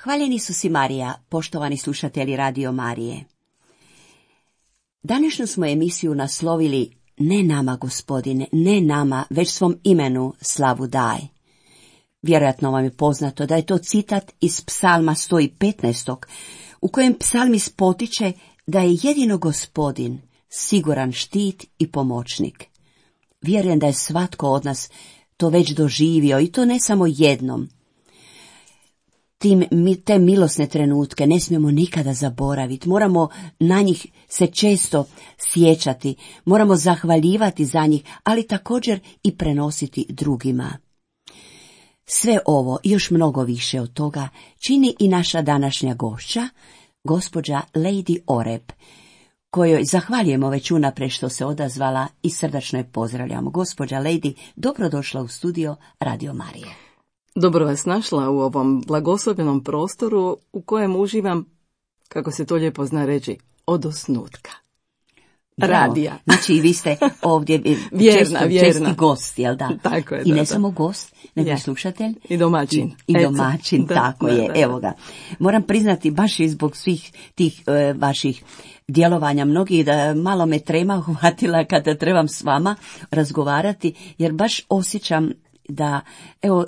Hvaljeni Isus i Marija, poštovani slušatelji Radio Marije. Današnju smo emisiju naslovili Ne nama, Gospodine, ne nama, već svom imenu slavu daj. Vjerojatno vam je poznato da je to citat iz Psalma 115. u kojem psalmist potiče da je jedino Gospodin siguran štit i pomoćnik. Vjerujem da je svatko od nas to već doživio i to ne samo jednom. Te milosne trenutke ne smijemo nikada zaboraviti, moramo na njih se često sjećati, moramo zahvaljivati za njih, ali također i prenositi drugima. Sve ovo i još mnogo više od toga čini i naša današnja gošća, gospođa Lady Oreb, kojoj zahvaljujemo već unaprijed što se odazvala i srdačno je pozdravljamo. Gospođa Lady, dobrodošla u studio Radio Marije. Dobro vas našla u ovom blagoslovenom prostoru u kojem uživam, kako se to lijepo zna reći, od osnutka. Radija. Znači i vi ste ovdje česti gost, jel da? Tako je, I ne samo gost, nego i slušatelj. I domaćin. I domaćin, tako je. Evo ga. Moram priznati, baš i zbog svih tih vaših djelovanja mnogih, da malo me trema uhvatila kada trebam s vama razgovarati, jer baš osjećam da, evo,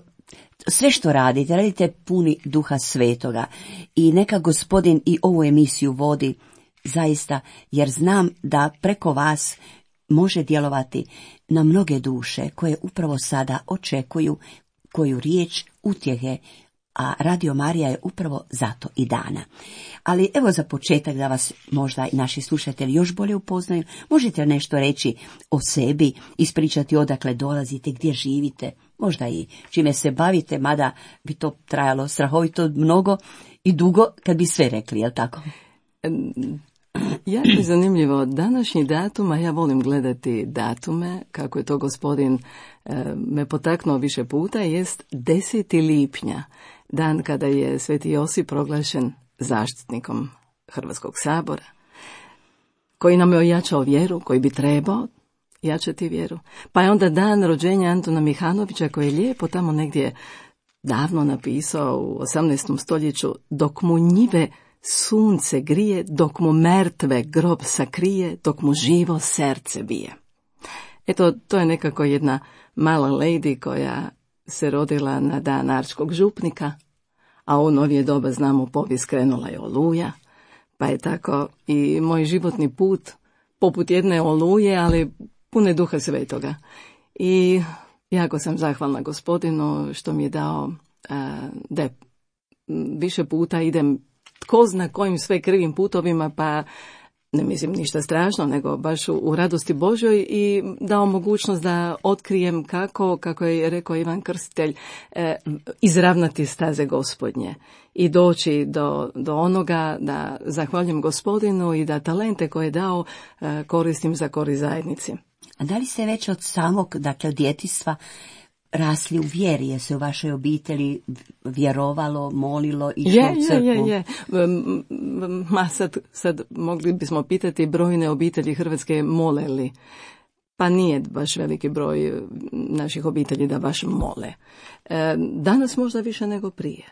sve što radite puni Duha Svetoga i neka Gospodin i ovu emisiju vodi zaista, jer znam da preko vas može djelovati na mnoge duše koje upravo sada očekuju koju riječ utjehe, a Radio Marija je upravo zato i dana. Ali evo za početak da vas možda i naši slušatelji još bolje upoznaju, možete nešto reći o sebi, ispričati odakle dolazite, gdje živite, možda i čime se bavite, mada bi to trajalo strahovito mnogo i dugo kad bi sve rekli, jel tako? Jako je zanimljivo, današnji datum, a ja volim gledati datume, kako je to Gospodin me potaknuo više puta, jest 10. lipnja, dan kada je Sveti Josip proglašen zaštitnikom Hrvatskog sabora, koji nam je ojačao vjeru, koji bi trebao jačati vjeru. Pa je onda dan rođenja Antuna Mihanovića, koji je lijepo tamo negdje davno napisao u 18. stoljeću, dok mu njive sunce grije, dok mu mrtve grob sakrije, dok mu živo srce bije. Eto, to je nekako jedna mala lady koja se rodila na dan Arčkog župnika, a u novije doba znamo povijest krenula je Oluja, pa je tako i moj životni put poput jedne Oluje, ali pune Duha Svetoga. I jako sam zahvalna Gospodinu što mi je dao da više puta idem tko zna kojim sve krivim putovima, pa ne mislim ništa strašno, nego baš u radosti Božoj, i dao mogućnost da otkrijem kako je rekao Ivan Krstitelj, izravnati staze Gospodnje i doći do onoga da zahvaljujem Gospodinu i da talente koje je dao koristim za korist zajednici. A da li se već od samog, dakle od djetinjstva, rasli u vjeri? Je se u vašoj obitelji vjerovalo, molilo, išlo u crkvu? Je. Sad mogli bismo pitati brojne obitelji Hrvatske mole li. Pa nije baš veliki broj naših obitelji da baš mole. Danas možda više nego prije.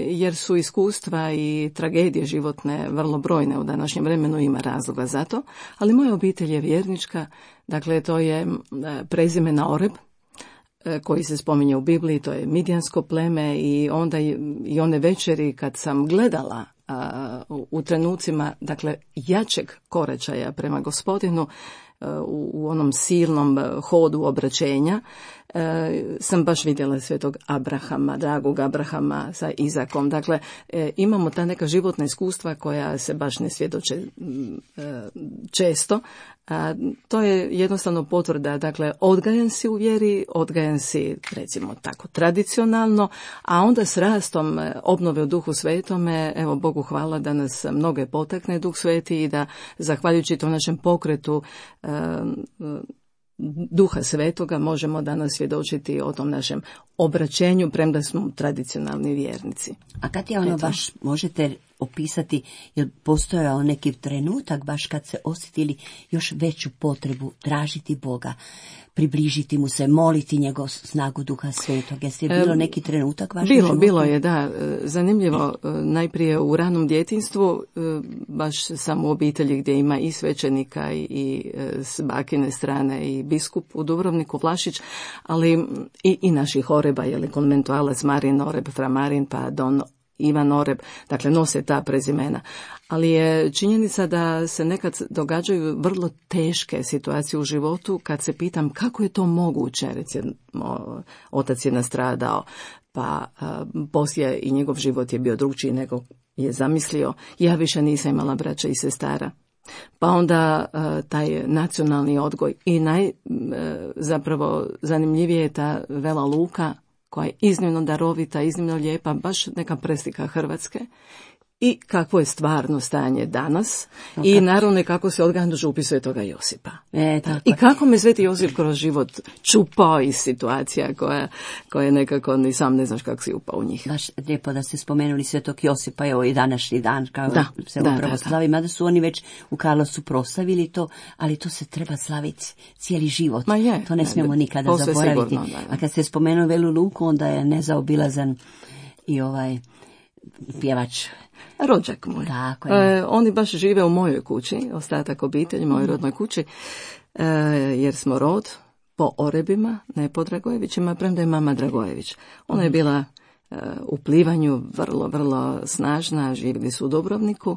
Jer su iskustva i tragedije životne vrlo brojne u današnjem vremenu, ima razloga za to. Ali moja obitelj je vjernička, dakle to je prezimena Oreb, koji se spominje u Bibliji, to je midjansko pleme, i onda i one večeri kad sam gledala u trenucima, dakle, jačeg koračaja prema Gospodinu, u onom silnom hodu obraćenja, sam baš vidjela svetog Abrahama, dragog Abrahama sa Izakom. Dakle, imamo ta neka životna iskustva koja se baš ne svjedoče često. To je jednostavno potvrda, dakle, odgajan si u vjeri, odgajan si, recimo tako, tradicionalno, a onda s rastom obnove u Duhu Svetome, evo Bogu hvala da nas mnoge potakne Duh Sveti i da, zahvaljujući tom našem pokretu Duha Svetoga, možemo danas svjedočiti o tom našem obraćenju, premda smo tradicionalni vjernici. A kad je ono baš, možete opisati, jer postojao neki trenutak baš kad se osjetili još veću potrebu tražiti Boga, približiti mu se, moliti njegov snagu Duha Svetog. Jeste bilo neki trenutak vašem životu? Bilo je, da. Zanimljivo, najprije u ranom djetinjstvu, baš sam u obitelji gdje ima i svećenika i s bakine strane i biskup u Dubrovniku, Vlašić, ali i naših oreba, konventualac Marin Oreb, fra Marin, pa Don Ivan Oreb, dakle nose ta prezimena. Ali je činjenica da se nekad događaju vrlo teške situacije u životu kad se pitam kako je to moguće, recimo otac je nastradao, pa poslije i njegov život je bio drugčiji nego je zamislio, ja više nisam imala braća i sestara. Pa onda taj nacionalni odgoj i zapravo zanimljivije je ta Vela Luka, koja je iznimno darovita, iznimno lijepa, baš neka preslika Hrvatske. I kakvo je stvarno stanje danas i naravno kako se odgađa upis Svetoga Josipa. I kako me Sveti Josip kroz život čupao iz situacija koja nekako ni sam ne znaš kako si upao u njih. Baš lijepo da ste spomenuli Svetog Josipa, evo i današnji dan kao se upravo slavi, mada su oni već u Karlovcu proslavili to, ali to se treba slaviti cijeli život. To ne smijemo nikada zaboraviti. Sigurno, a kad ste spomenuli Velu Luku, onda je nezaobilazan i pjevač. Rođak moj. Oni baš žive u mojoj kući, ostatak obitelji, mojoj rodnoj kući, jer smo rod po Orebima, ne po Dragojevićima, premda je mama Dragojević. Ona je bila u plivanju vrlo, vrlo snažna, živjeli su u Dubrovniku,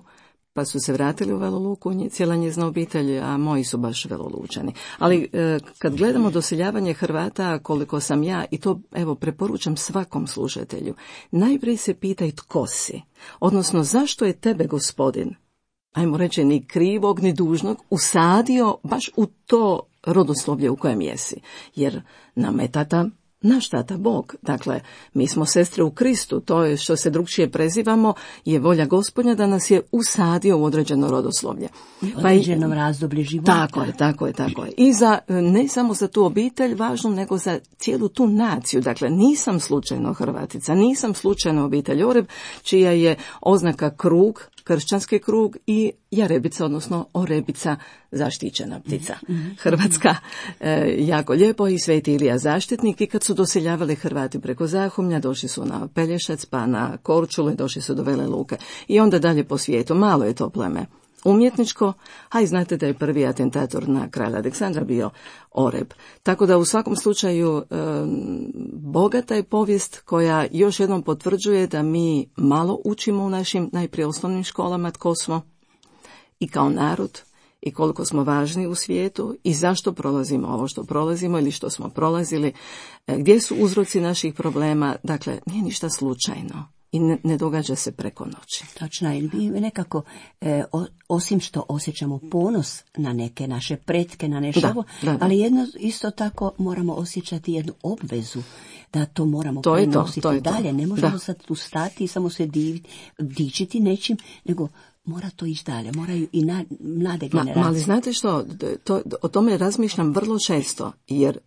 pa su se vratili u Velu Luku, cijela njezina obitelj, a moji su baš Velolučani. Ali kad gledamo doseljavanje Hrvata, koliko sam ja, i to preporučam svakom slušatelju, najprije se pitaj tko si, odnosno zašto je tebe Gospodin, ajmo reći ni krivog ni dužnog, usadio baš u to rodoslovlje u kojem jesi, jer nama je naš tata Bog. Dakle, mi smo sestre u Kristu, to je što se drugčije prezivamo, je volja Gospodnja da nas je usadio u određeno rodoslovlje. U određenom razdoblju života. Tako je. I ne samo za tu obitelj važno, nego za cijelu tu naciju. Dakle, nisam slučajno Hrvatica, nisam slučajno obitelj Oreb, čija je oznaka krug, kršćanski krug, i jarebica, odnosno orebica, zaštićena ptica. Hrvatska, jako lijepo, i Sveti Ilija zaštitnik. I kad su doseljavali Hrvati preko Zahumlja, došli su na Pelješac, pa na Korčulu, došli su do Vele Luke. I onda dalje po svijetu. Malo je to pleme umjetničko, a i znate da je prvi atentator na kralja Aleksandra bio Oreb. Tako da u svakom slučaju bogata je povijest koja još jednom potvrđuje da mi malo učimo u našim najprije osnovnim školama tko smo i kao narod i koliko smo važni u svijetu i zašto prolazimo ovo što prolazimo ili što smo prolazili, gdje su uzroci naših problema. Dakle, nije ništa slučajno. I ne događa se preko noći. Točno, i mi nekako, osim što osjećamo ponos na neke naše pretke, na nešto, ali isto tako moramo osjećati jednu obvezu da to moramo prenositi dalje. Ne možemo sad tu stati i samo se dičiti nečim, nego mora to ići dalje, moraju i mlade generacije. Ali znate što, o tome razmišljam vrlo često, jer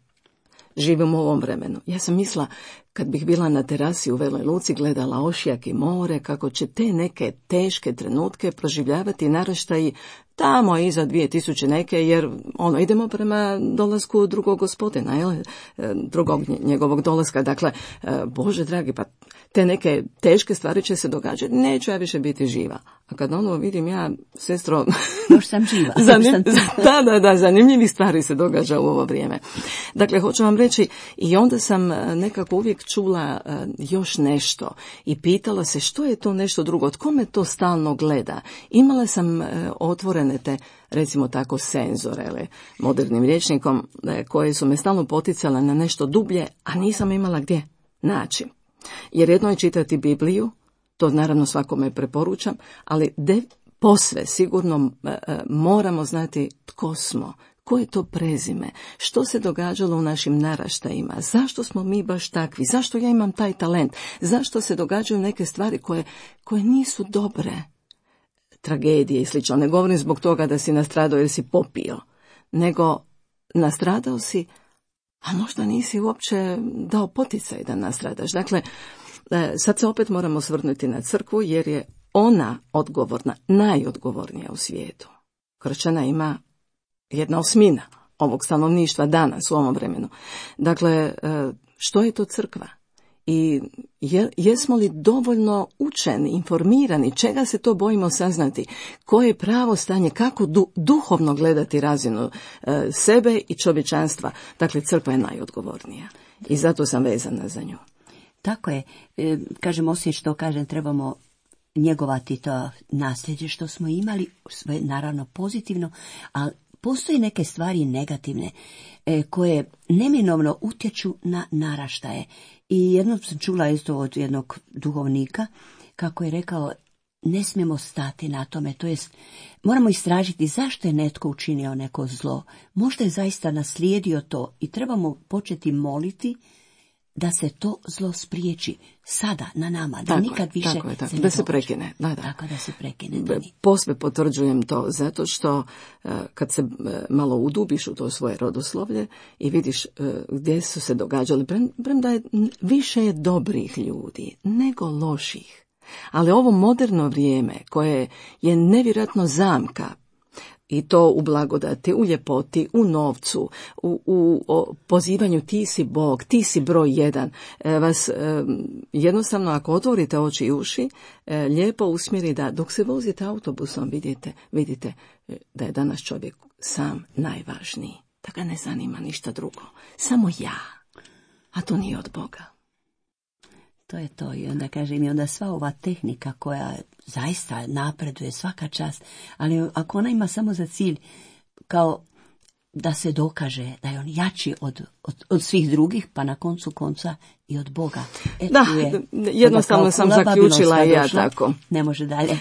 živimo u ovom vremenu. Ja sam mislila, kad bih bila na terasi u Veloj Luci, gledala ošjak i more, kako će te neke teške trenutke proživljavati naraštaji tamo iza 2000 neke, jer idemo prema dolasku drugog Gospodina, drugog njegovog dolaska. Dakle, Bože dragi, pa te neke teške stvari će se događati, neću ja više biti živa. A kad vidim ja, sestro, još sam živa. Zanimljivih stvari se događa u ovo vrijeme. Dakle, hoću vam reći, i onda sam nekako uvijek čula još nešto i pitala se što je to nešto drugo, tko me to stalno gleda. Imala sam otvorene te, recimo tako, senzore, modernim rječnikom, koje su me stalno poticale na nešto dublje, a nisam imala gdje naći. Jer jedno je čitati Bibliju, to naravno svakome preporučam, ali posve sigurno moramo znati tko smo, koje je to prezime, što se događalo u našim naraštajima, zašto smo mi baš takvi, zašto ja imam taj talent, zašto se događaju neke stvari koje nisu dobre, tragedije i slično. Ne govorim zbog toga da si nastradao jer si popio, nego nastradao si, a možda nisi uopće dao poticaj da nastradaš. Dakle, sad se opet moramo svrnuti na crkvu, jer je ona odgovorna, najodgovornija u svijetu. Kršćana ima 1/8 ovog stanovništva danas u ovom vremenu. Dakle, što je to crkva? I jesmo li dovoljno učeni, informirani, čega se to bojimo saznati, koje je pravo stanje, kako duhovno gledati razinu sebe i čovječanstva. Dakle, crkva je najodgovornija i zato sam vezana za nju. Tako je, kažem, osim što kažem, trebamo njegovati to nasljeđe što smo imali, sve naravno pozitivno, ali postoje neke stvari negativne koje neminovno utječu na naraštaje. I jednom sam čula isto od jednog duhovnika kako je rekao, ne smijemo stati na tome, to jest moramo istražiti zašto je netko učinio neko zlo. Možda je zaista naslijedio to i trebamo početi moliti da se to zlo spriječi sada na nama, da tako nikad više tako se ne da se događa. prekine. Da. Tako da se prekine. Posve potvrđujem to, zato što kad se malo udubiš u to svoje rodoslovlje i vidiš gdje su se događali, premda je više je dobrih ljudi nego loših. Ali ovo moderno vrijeme koje je nevjerojatno zamka, i to u blagodati, u ljepoti, u novcu, u pozivanju ti si Bog, ti si broj 1, vas jednostavno ako otvorite oči i uši, lijepo usmjeri da dok se vozite autobusom vidite da je danas čovjek sam najvažniji, da ga ne zanima ništa drugo, samo ja, a to nije od Boga. To je to i onda kažem, i onda sva ova tehnika koja zaista napreduje svaka čast, ali ako ona ima samo za cilj kao da se dokaže da je on jači od svih drugih, pa na koncu konca i od Boga. Da, jednostavno sam zaključila i ja tako. Ne može dalje.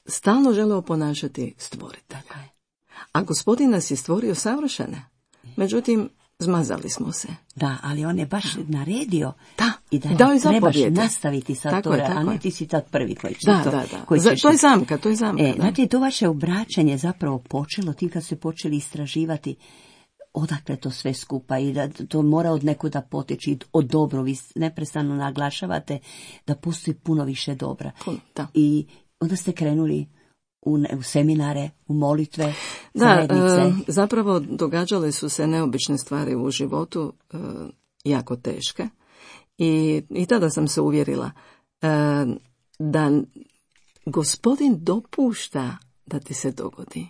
Stalno žele oponašati stvoritelja. A Gospodin nas je stvorio savršene. Međutim, zmazali smo se. Da, ali on je baš naredio i da trebaš nastaviti sad to, a ne ti si tad prvi koji će to. To je zamka. Znači, to vaše obraćanje zapravo počelo, ti kad ste počeli istraživati odakle to sve skupa i da to mora od nekuda poteći, od dobro, vi neprestano naglašavate da postoji puno više dobra. I onda ste krenuli u seminare, u molitve, zajednice. Zapravo događale su se neobične stvari u životu, jako teške. I tada sam se uvjerila da Gospodin dopušta da ti se dogodi.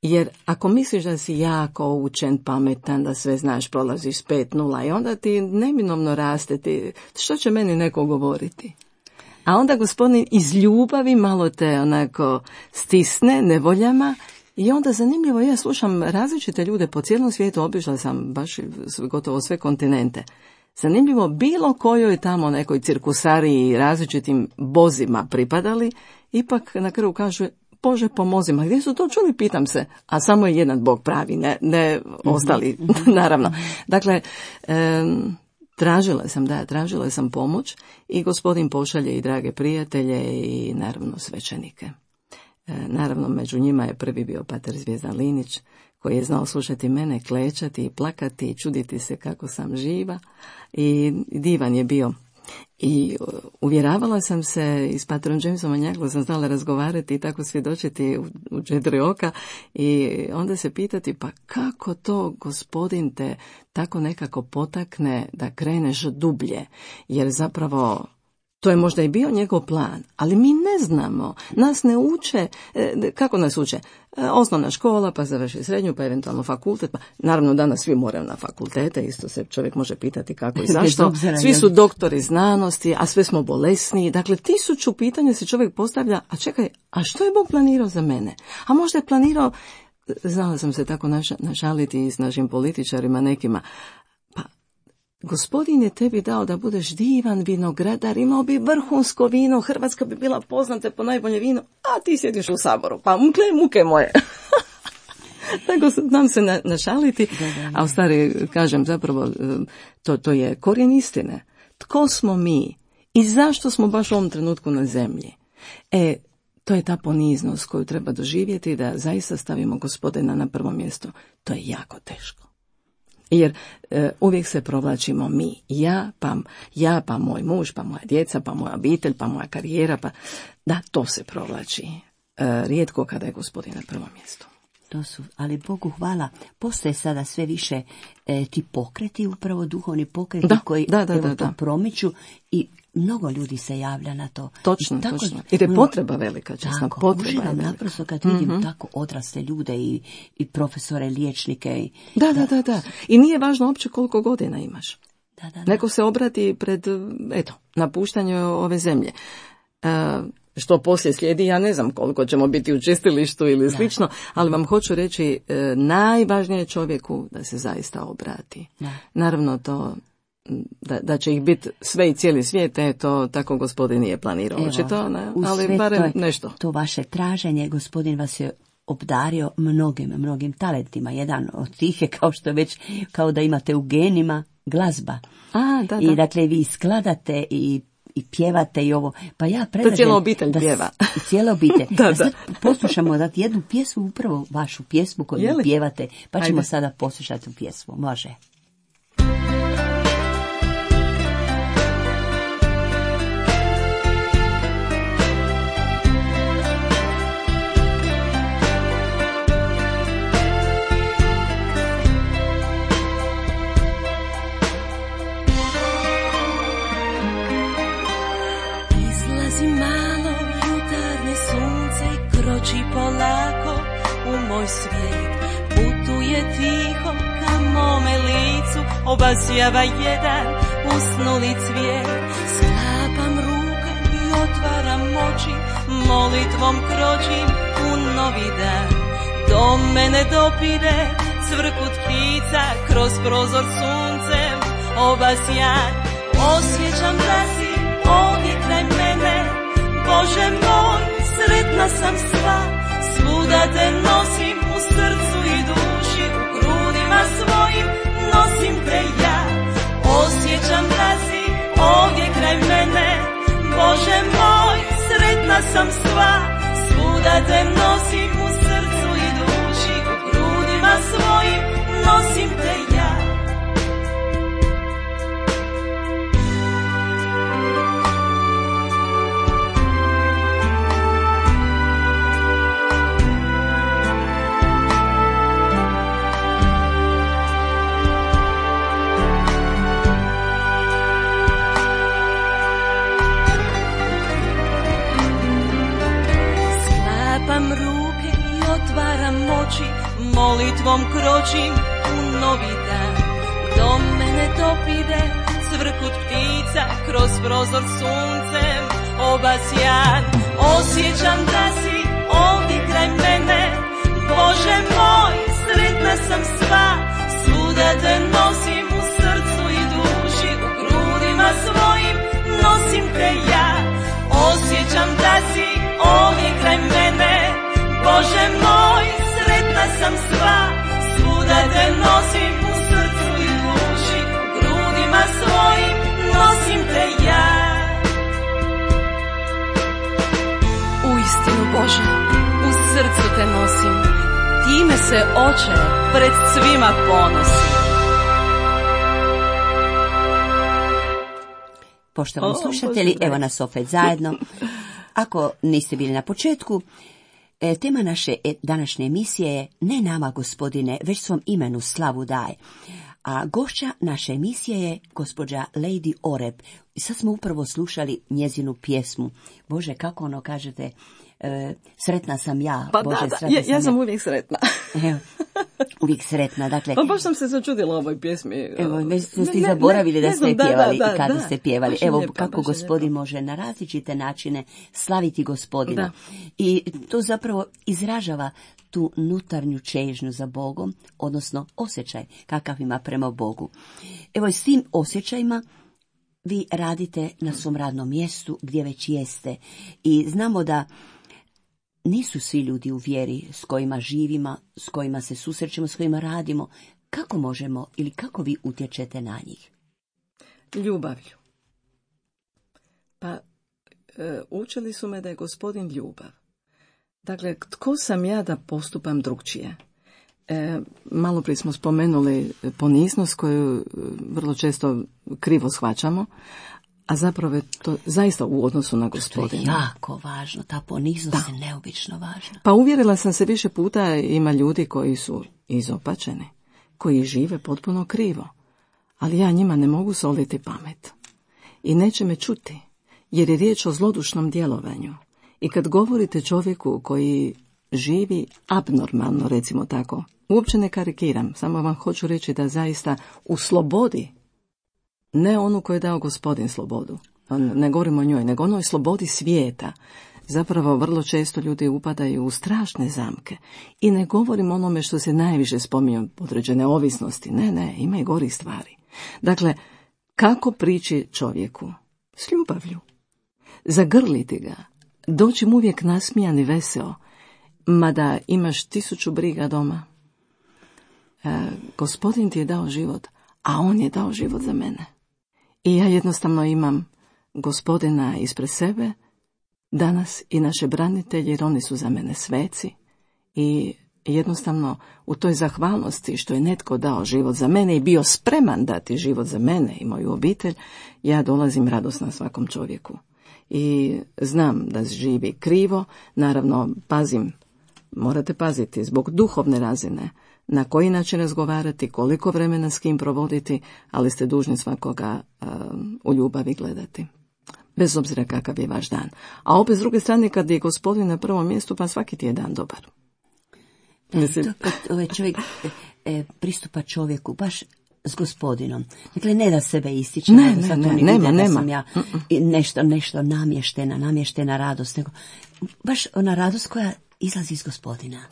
Jer ako misliš da si jako učen, pametan, da sve znaš, prolaziš 5-0 i onda ti neminovno raste, što će meni neko govoriti? A onda Gospodin iz ljubavi malo te onako stisne nevoljama i onda zanimljivo, ja slušam različite ljude po cijelom svijetu, obišla sam baš gotovo sve kontinente. Zanimljivo, bilo kojoj tamo nekoj cirkusariji različitim bozima pripadali, ipak na kraju kažu, Bože pomozi, ma gdje su to čuli, pitam se, a samo je jedan Bog pravi, ne ostali, naravno. Dakle, tražila sam pomoć i Gospodin pošalje i drage prijatelje i naravno svećenike. Naravno, među njima je prvi bio pater Zvijezdan Linić, koji je znao slušati mene, klečati i plakati i čuditi se kako sam živa i divan je bio. I uvjeravala sam se i s patrom Jamesom Manjaglo sam znala razgovarati i tako svjedočiti u 4 oka i onda se pitati pa kako to Gospodin te tako nekako potakne da kreneš dublje, jer zapravo to je možda i bio njegov plan, ali mi ne znamo, nas ne uče, kako nas uče? Osnovna škola, pa završi srednju, pa eventualno fakultet, pa naravno danas svi moraju na fakultete, isto se čovjek može pitati kako i zašto, svi su doktori znanosti, a sve smo bolesni, dakle 1000 pitanja se čovjek postavlja, a čekaj, a što je Bog planirao za mene? A možda je planirao, znala sam se tako našaliti s našim političarima nekima, Gospodin je tebi dao da budeš divan vinogradar, imao bi vrhunsko vino, Hrvatska bi bila poznata po najbolje vino, a ti sjediš u Saboru, pa muke moje. Tako znam se našaliti, a u stvari kažem zapravo to je korijen istine. Tko smo mi i zašto smo baš u ovom trenutku na zemlji? To je ta poniznost koju treba doživjeti da zaista stavimo Gospodina na prvo mjesto. To je jako teško. Jer uvijek se provlačimo mi, ja, pa moj muž, pa moja djeca, pa moja obitelj, pa moja karijera, pa da, to se provlači. Rijetko kada je Gospodin na prvom mjestu. To su, ali Bogu hvala, postoje sada sve više ti pokreti, upravo duhovni pokreti koji to promiču i mnogo ljudi se javlja na to. Točno. Jer je potreba velika, časna potreba. Uživam naprosto kad vidim tako odrasle ljude i profesore, liječnike. Da. I nije važno uopće koliko godina imaš. Da. Neko se obrati pred, napuštanju ove zemlje. Što poslije slijedi, ja ne znam koliko ćemo biti u čistilištu ili slično, ali vam hoću reći, najvažnije je čovjeku da se zaista obrati. Naravno to, da će ih biti sve i cijeli svijet, to tako Gospodin nije planirao, očito, ali barem nešto. To vaše traženje, Gospodin vas je obdario mnogim talentima. Jedan od tih je kao da imate u genima glazba. Da. I dakle vi skladate i pjevate i ovo. Pa ja predlažem cijela obitelj pjeva. Cijela obitelj. Da. Sad poslušamo jednu pjesmu, upravo vašu pjesmu koju pjevate, pa ćemo sada poslušati tu pjesmu. Može. Polako u moj svijet putuje tiho ka mome licu, obasjava jedan usnuli cvijet. Sklapam ruke i otvaram oči, molitvom kročim u novi dan. Do mene dopire cvrkut ptica, kroz prozor suncem obasjan. Osjećam da si ovdje kraj mene, Bože moj, sretna sam sva. Svuda te nosim u srcu i duši, u grudima svojim nosim te ja. Osjećam da si ovdje kraj mene, Bože moj, sretna sam sva. Svuda te nosim u srcu i duši, u grudima svojim nosim te ja. Molitvom kročim u novi dan. Do mene dopire cvrkut ptica, kroz prozor suncem obasjan. Osjećam da si ovdje kraj mene, Bože moj, sretna sam sva. Svuda te nosim u srcu i duši, u grudima svojim nosim te ja. Osjećam da si ovdje kraj mene, Bože moj, sretna sam sva. Svuda te nosim u srcu i duši, u grudima svojim nosim te ja. Uistinu, Bože, u srcu te nosim, time se, Oče, pred svima ponosim. Poštovani slušatelji, evo nas opet zajedno. Ako niste bili na početku, tema naše današnje emisije je Ne nama, Gospodine, već svom imenu slavu daj. A gošća naše emisije je gospođa Lady Oreb. I sad smo upravo slušali njezinu pjesmu. Bože, kako ono kažete, sretna sam ja. Pa Bože, da, ja sam uvijek sretna. Evo, uvijek sretna, dakle. Pa baš sam se začudila ovoj pjesmi. Evo, već ste zaboravili da ste je pjevali i kada ste pjevali. Evo, kako Gospodin može na različite načine slaviti Gospodina. Da. I to zapravo izražava tu unutarnju čežnju za Bogom, odnosno osjećaj kakav ima prema Bogu. Evo, s tim osjećajima vi radite na svom radnom mjestu gdje već jeste. I znamo da nisu svi ljudi u vjeri s kojima živimo, s kojima se susrećemo, s kojima radimo. Kako možemo ili kako vi utječete na njih? Ljubavlju. Pa učili su me da je Gospodin ljubav. Dakle, tko sam ja da postupam drugčije? Malo prije smo spomenuli poniznost koju vrlo često krivo shvaćamo, a zapravo je to zaista u odnosu na Gospodina. To je jako važno, ta poniznost je neobično važna. Pa uvjerila sam se više puta, ima ljudi koji su izopačeni, koji žive potpuno krivo, ali ja njima ne mogu soliti pamet. I neće me čuti, jer je riječ o zlodušnom djelovanju. I kad govorite čovjeku koji živi abnormalno, recimo tako, uopće ne karikiram, samo vam hoću reći da zaista u slobodi, ne onu koju je dao Gospodin slobodu, ne govorimo o njoj, nego onoj slobodi svijeta, zapravo vrlo često ljudi upadaju u strašne zamke. I ne govorim onome što se najviše spominju, određene ovisnosti, ne, ima i gorih stvari. Dakle, kako prići čovjeku? S ljubavlju. Zagrliti ga, doći mu uvijek nasmijan i veseo, mada imaš 1000 briga doma. Gospodin ti je dao život, a on je dao život za mene. I ja jednostavno imam Gospodina ispred sebe, danas i naše branitelje, jer oni su za mene sveci. I jednostavno u toj zahvalnosti što je netko dao život za mene i bio spreman dati život za mene i moju obitelj, ja dolazim radosna svakom čovjeku. I znam da živi krivo, naravno pazim, morate paziti zbog duhovne razine, na koji način razgovarati, koliko vremena s kim provoditi, ali ste dužni svakoga u ljubavi gledati. Bez obzira kakav je vaš dan. A opet s druge strane, kad je Gospodin na prvom mjestu, pa svaki ti je dan dobar. To kad ovaj čovjek pristupa čovjeku baš s Gospodinom. Dakle, ne da sebe ističe, nema. Sam ja nešto namještena radost, nego baš ona radost koja izlazi iz Gospodina.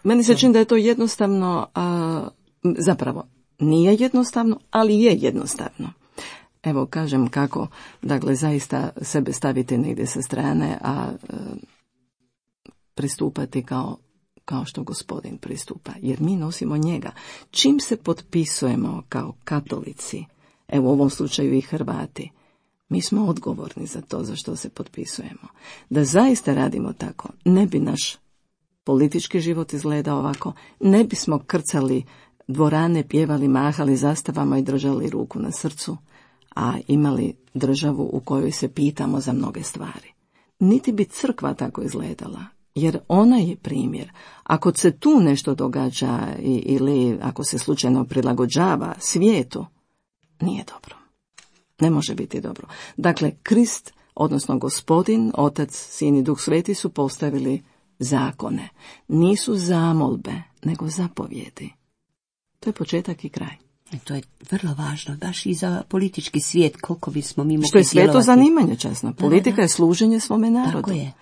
Meni se čini da je to jednostavno, zapravo nije jednostavno, ali je jednostavno. Evo, kažem kako, dakle, zaista sebe staviti negdje sa strane, a pristupati kao što Gospodin pristupa, jer mi nosimo njega. Čim se potpisujemo kao katolici, evo u ovom slučaju i Hrvati, mi smo odgovorni za to za što se potpisujemo. Da zaista radimo tako, ne bi naš politički život izgledao ovako, ne bismo krcali dvorane, pjevali, mahali zastavama i držali ruku na srcu, a imali državu u kojoj se pitamo za mnoge stvari. Niti bi crkva tako izgledala, jer ona je primjer. Ako se tu nešto događa ili ako se slučajno prilagođava svijetu, nije dobro. Ne može biti dobro. Dakle, Krist, odnosno Gospodin, Otac, Sin i Duh Sveti su postavili zakone. Nisu zamolbe, nego zapovjedi. To je početak i kraj. To je vrlo važno, baš i za politički svijet, koliko bismo mi mogli što je sveto zanimanje časno. Politika je služenje svome narodu. Tako je.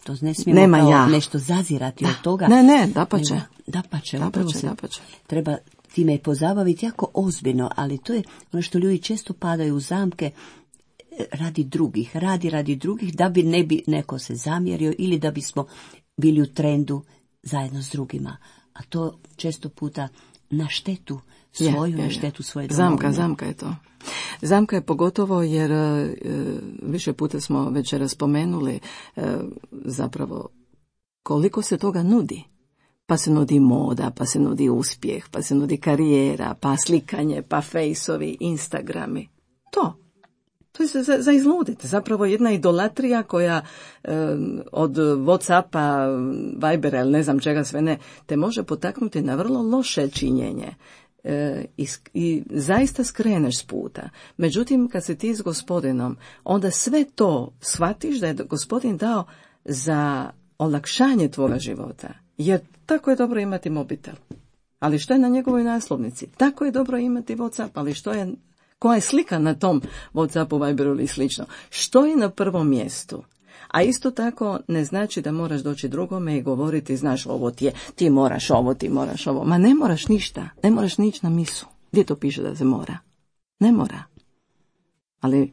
To ne smijemo kao nešto zazirati od toga. Ne, dapače. Dapače. Treba time pozabaviti jako ozbiljno, ali to je ono što ljudi često padaju u zamke radi drugih, radi drugih, da bi ne bi neko se zamjerio ili da bismo bili u trendu zajedno s drugima. A to često puta na štetu svoju, na štetu svoje domovine. Zamka je to. Zamka je pogotovo jer više puta smo večeras spomenuli zapravo koliko se toga nudi. Pa se nudi moda, pa se nudi uspjeh, pa se nudi karijera, pa slikanje, pa fejsovi, Instagrami. To je za izluditi. Zapravo jedna idolatrija koja od Whatsappa, Vibera ili ne znam čega sve ne, te može potaknuti na vrlo loše činjenje. I zaista skreneš s puta. Međutim, kad si ti s Gospodinom, onda sve to shvatiš da je Gospodin dao za olakšanje tvoga života. Jer tako je dobro imati mobitel. Ali što je na njegovoj naslovnici? Tako je dobro imati WhatsApp, ali koja je slika na tom WhatsAppu, Viberu ili slično? Što je na prvom mjestu? A isto tako ne znači da moraš doći drugome i govoriti, znaš, ovo ti je, ti moraš ovo. Ma ne moraš ništa, ne moraš nići na misu. Gdje to piše da se mora? Ne mora. Ali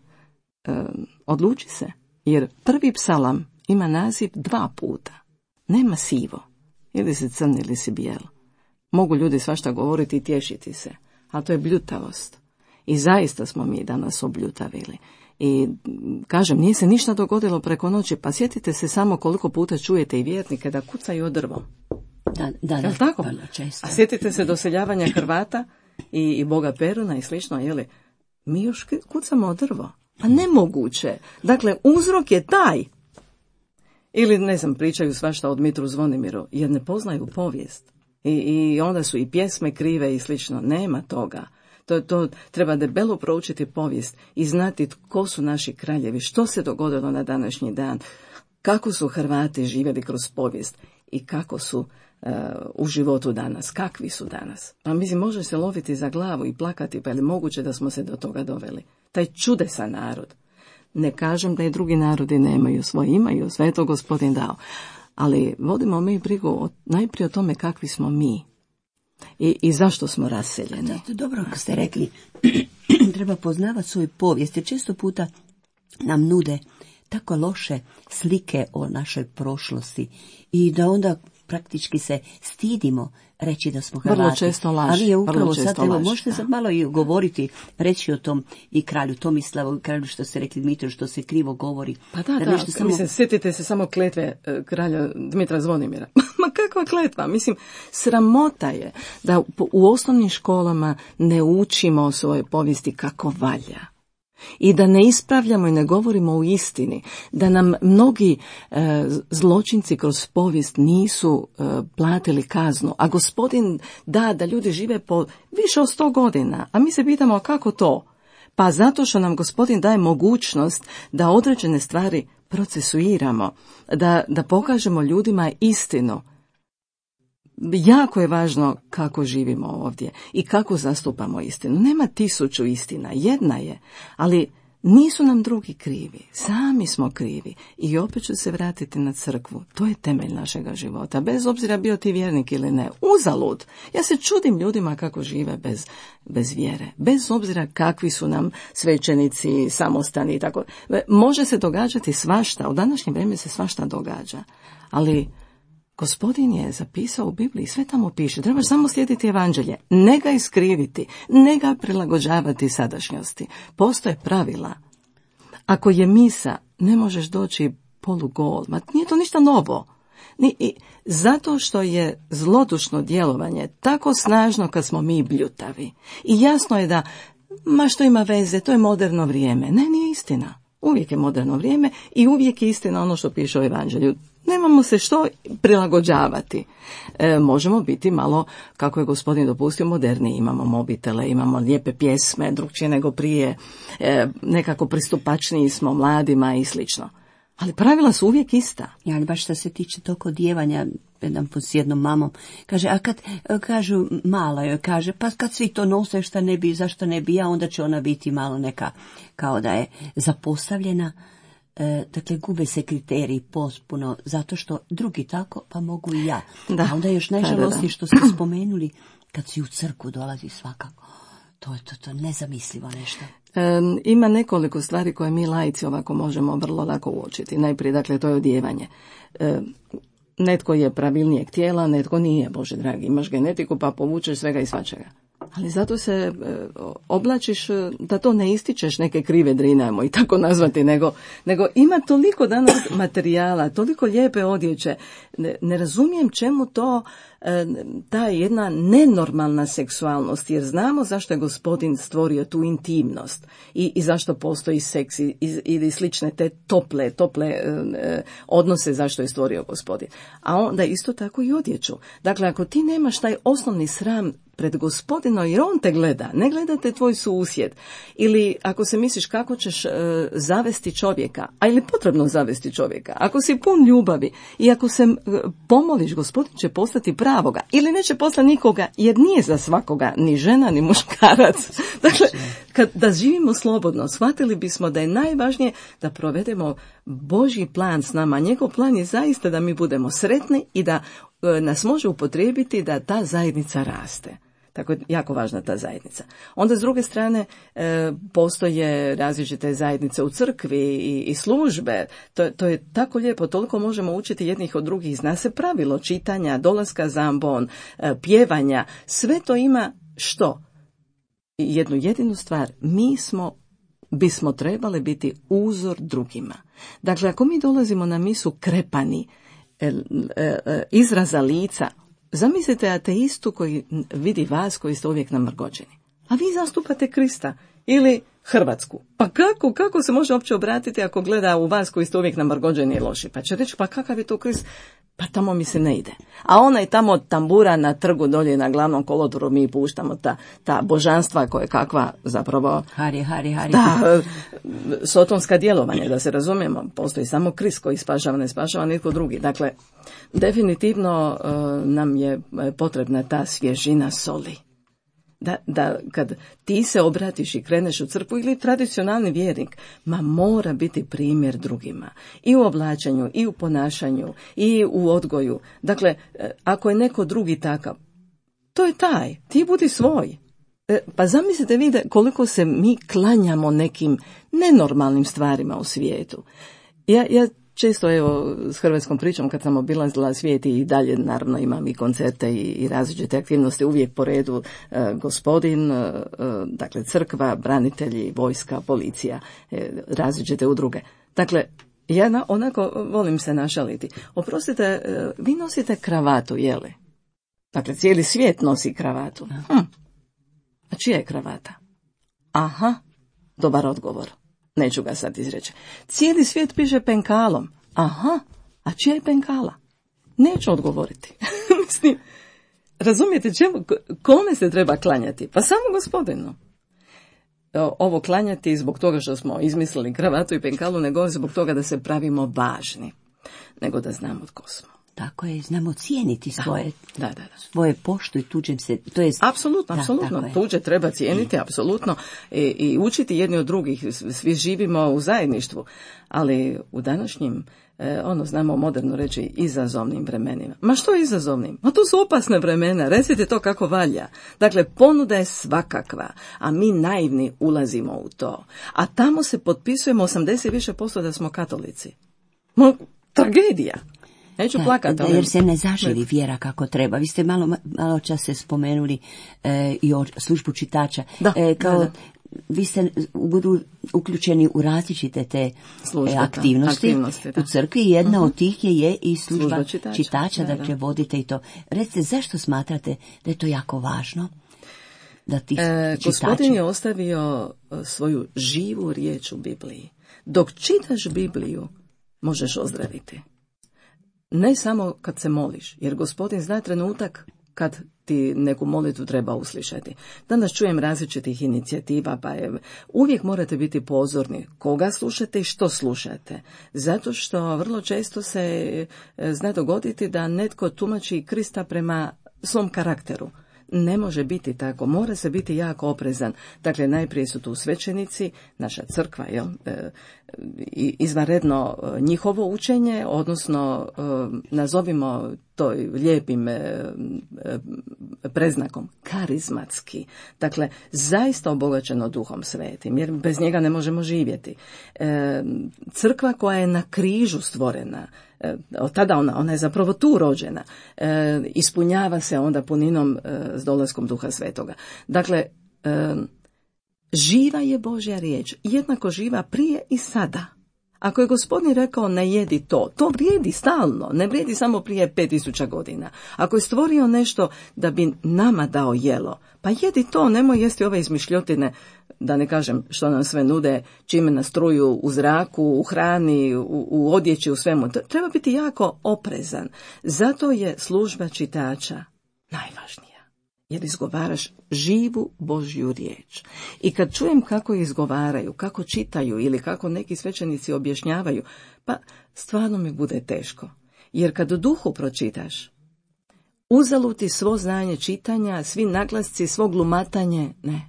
odluči se, jer prvi psalam ima naziv 2 puta. Nema sivo. Ili si crn ili si bijel. Mogu ljudi svašta govoriti i tješiti se, a to je bljutavost. I zaista smo mi danas obljutavili. I kažem, nije se ništa dogodilo preko noći, pa sjetite se samo koliko puta čujete i vjernike da kucaju o drvo. Da, Jel' tako? vrlo često. A sjetite se doseljavanja Hrvata i Boga Peruna i slično, jeli? Mi još kucamo o drvo. Pa nemoguće. Dakle, uzrok je taj. Ili, ne znam, pričaju svašta o Dmitru Zvonimiru, jer ne poznaju povijest. I onda su i pjesme krive i slično. Nema toga. To treba debelo proučiti povijest i znati tko su naši kraljevi, što se dogodilo na današnji dan, kako su Hrvati živjeli kroz povijest i kako su u životu danas, kakvi su danas. Pa mislim, može se loviti za glavu i plakati, pa je li moguće da smo se do toga doveli? Taj čudesan narod. Ne kažem da i drugi narodi nemaju svoje, imaju, sve je to Gospodin dao. Ali vodimo mi brigu najprije o tome kakvi smo mi i zašto smo raseljeni. Dobro kako ste rekli, treba poznavati svoju povijest, jer često puta nam nude tako loše slike o našoj prošlosti i da onda praktički se stidimo reći da smo Hrvati. Vrlo često laž. Ali je upravo sad, evo, laž, možete sad malo i govoriti, reći o tom i kralju Tomislavu, kralju što ste rekli Dmitru, što se krivo govori. Pa da, mislim, sjetite se samo kletve kralja Dmitra Zvonimira. Ma kakva kletva? Mislim, sramota je da u osnovnim školama ne učimo o svojoj povijesti kako valja. I da ne ispravljamo i ne govorimo u istini, da nam mnogi zločinci kroz povijest nisu platili kaznu, a Gospodin da ljudi žive po više od 100 godina, a mi se pitamo kako to? Pa zato što nam Gospodin daje mogućnost da određene stvari procesuiramo, da pokažemo ljudima istinu. Jako je važno kako živimo ovdje i kako zastupamo istinu. Nema 1000 istina, jedna je, ali nisu nam drugi krivi, sami smo krivi. I opet ću se vratiti na crkvu, to je temelj našega života, bez obzira bio ti vjernik ili ne, uzalud. Ja se čudim ljudima kako žive bez vjere, bez obzira kakvi su nam svećenici, samostani i tako. Može se događati svašta, u današnje vrijeme se svašta događa, ali Gospodin je zapisao u Bibliji, sve tamo piše, trebaš samo slijediti evanđelje, ne ga iskriviti, ne ga prilagođavati sadašnjosti. Postoje pravila. Ako je misa, ne možeš doći polugol, ma nije to ništa novo. Zato što je zlodušno djelovanje tako snažno kad smo mi bljutavi. I jasno je da, ma što ima veze, to je moderno vrijeme. Ne, nije istina. Uvijek je moderno vrijeme i uvijek je istina ono što piše u evanđelju. Nemamo se što prilagođavati. Možemo biti malo, kako je Gospodin dopustio, moderni. Imamo mobitele, imamo lijepe pjesme, drugčije nego prije, nekako pristupačniji smo mladima i slično. Ali pravila su uvijek ista. Ja, ali baš što se tiče tog odjevanja, s jednom mamom, kaže, a kad kažu mala joj, kaže, pa kad svi to nose, šta ne bi, zašto ne bi ja, onda će ona biti malo neka, kao da je zapostavljena. Dakle, gube se kriteriji potpuno, zato što drugi tako, pa mogu i ja. Da. A onda još najžalostnije što ste spomenuli, kad si u crkvu dolazi svakako. To je to nezamislivo nešto. Ima nekoliko stvari koje mi laici ovako možemo vrlo lako uočiti. Najprije, dakle, to je odjevanje. Netko je pravilnijeg tijela, netko nije, Bože dragi, imaš genetiku pa povučeš svega i svačega. Ali zato se oblačiš da to ne ističeš neke krive drinamo i tako nazvati, nego ima toliko danas materijala, toliko lijepe odjeće. Ne razumijem čemu to ta jedna nenormalna seksualnost, jer znamo zašto je Gospodin stvorio tu intimnost i zašto postoji seks ili slične te tople odnose zašto je stvorio Gospodin. A onda isto tako i odjeću. Dakle, ako ti nemaš taj osnovni sram pred Gospodinom, jer on te gleda, ne gleda te tvoj susjed. Ili ako se misliš kako ćeš zavesti čovjeka, a ili potrebno zavesti čovjeka, ako si pun ljubavi i ako se pomoliš, Gospodin će postati pravoga. Ili neće poslati nikoga, jer nije za svakoga ni žena, ni muškarac. Dakle, da živimo slobodno, shvatili bismo da je najvažnije da provedemo Božji plan s nama. Njegov plan je zaista da mi budemo sretni i da nas može upotrijebiti da ta zajednica raste. Tako je jako važna ta zajednica. Onda s druge strane postoje različite zajednice u crkvi i službe. To je tako lijepo, toliko možemo učiti jednih od drugih. Zna se pravilo čitanja, dolaska za ambon, pjevanja. Sve to ima što? Jednu jedinu stvar. Bismo trebali biti uzor drugima. Dakle, ako mi dolazimo na misu krepani, izraza lica, zamislite ateistu koji vidi vas koji ste uvijek namrgođeni. A vi zastupate Krista ili Hrvatsku. Pa kako se može uopće obratiti ako gleda u vas koji ste uvijek namrgođeni i loši? Pa će reći, pa kakav je to Krist? Pa tamo mi se ne ide. A onaj tamo tambura na trgu dolje na glavnom kolodvoru mi puštamo ta božanstva koje kakva zapravo... Hari. Da, sotonska djelovanja, da se razumijemo. Postoji samo Krist koji spašava, ne spašava nitko drugi. Dakle, definitivno nam je potrebna ta svježina soli. Da kad ti se obratiš i kreneš u crkvu ili tradicionalni vjernik, mora biti primjer drugima. I u oblačenju, i u ponašanju, i u odgoju. Dakle, ako je neko drugi takav, to je taj, ti budi svoj. Pa zamislite vidite koliko se mi klanjamo nekim nenormalnim stvarima u svijetu. Ja često, evo, s hrvatskom pričom kad sam obilazila svijet i dalje, naravno, imam i koncerte i različite aktivnosti, uvijek po redu gospodin, dakle, crkva, branitelji, vojska, policija, različite udruge. Dakle, ja onako volim se našaliti. Oprostite, vi nosite kravatu, jeli? Dakle, cijeli svijet nosi kravatu. A čija je kravata? Aha, dobar odgovor. Neću ga sad izreći. Cijeli svijet piše penkalom. Aha, a čija je penkala? Neću odgovoriti. Mislim, razumijete kome se treba klanjati? Pa samo gospodinu. Ovo klanjati zbog toga što smo izmislili kravatu i penkalu, ne govori zbog toga da se pravimo važni, nego da znamo tko smo. Tako je, znamo cijeniti svoje, da. svoje poštu i tuđem se, to je... Apsolutno, tuđe treba cijeniti, apsolutno, i učiti jedni od drugih, svi živimo u zajedništvu, ali u današnjim, znamo moderno reći, izazovnim vremenima. Ma što je izazovnim? Ma to su opasne vremena, recite to kako valja. Dakle, ponuda je svakakva, a mi naivni ulazimo u to. A tamo se potpisujemo 80% da smo katolici. Tragedija. Neću plakati. Jer se ne zaživi vjera kako treba. Vi ste malo čas se spomenuli i o službu čitača. Vi ste budu uključeni u različite te aktivnosti u crkvi i jedna od tih je i služba čitača, dakle vodite i to. Recite, zašto smatrate da je to jako važno? Da ti Gospodin je ostavio svoju živu riječ u Bibliji. Dok čitaš Bibliju, možeš ozdraviti. Ne samo kad se moliš, jer Gospodin zna trenutak kad ti neku molitvu treba uslišati. Danas čujem različitih inicijativa, pa uvijek morate biti pozorni koga slušate i što slušate. Zato što vrlo često se zna dogoditi da netko tumači Krista prema svom karakteru. Ne može biti tako, mora se biti jako oprezan. Dakle, najprije su tu svećenici, naša crkva, izvanredno njihovo učenje, odnosno nazovimo to lijepim preznakom, karizmatski. Dakle, zaista obogaćeno Duhom Svetim, jer bez njega ne možemo živjeti. Crkva koja je na križu stvorena, od tada ona je zapravo tu rođena, ispunjava se onda puninom s dolaskom Duha Svetoga. Dakle, živa je Božja riječ, jednako živa prije i sada. Ako je Gospodin rekao ne jedi to vrijedi stalno, ne vrijedi samo prije 5000 godina. Ako je stvorio nešto da bi nama dao jelo, pa jedi to, nemoj jesti ove izmišljotine, da ne kažem što nam sve nude, čime nas truju u zraku, u hrani, u odjeći, u svemu. Treba biti jako oprezan. Zato je služba čitača najvažnija. Jer izgovaraš živu Božju riječ. I kad čujem kako izgovaraju, kako čitaju ili kako neki svećenici objašnjavaju, pa stvarno mi bude teško. Jer kad u duhu pročitaš, uzaluti svo znanje čitanja, svi naglasci, svo glumatanje, ne.